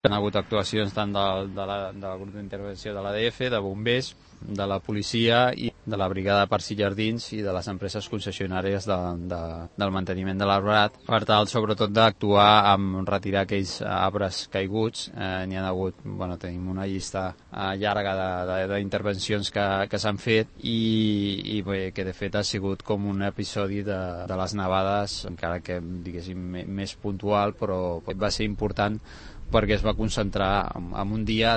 Hi ha hagut actuacions tant del grup d'intervenció de l'ADF, de bombers, de la policia i de la brigada de Parcs i Jardins i de les empreses concessionàries del manteniment de l'arbrat, per tal sobretot d'actuar amb retirar aquells arbres caiguts. N'hi ha hagut, tenim una llista llarga d'intervencions que s'han fet i bé, que de fet ha sigut com un episodi de les nevades, encara que diguéssim més puntual, però va ser important perquè es va concentrar en un dia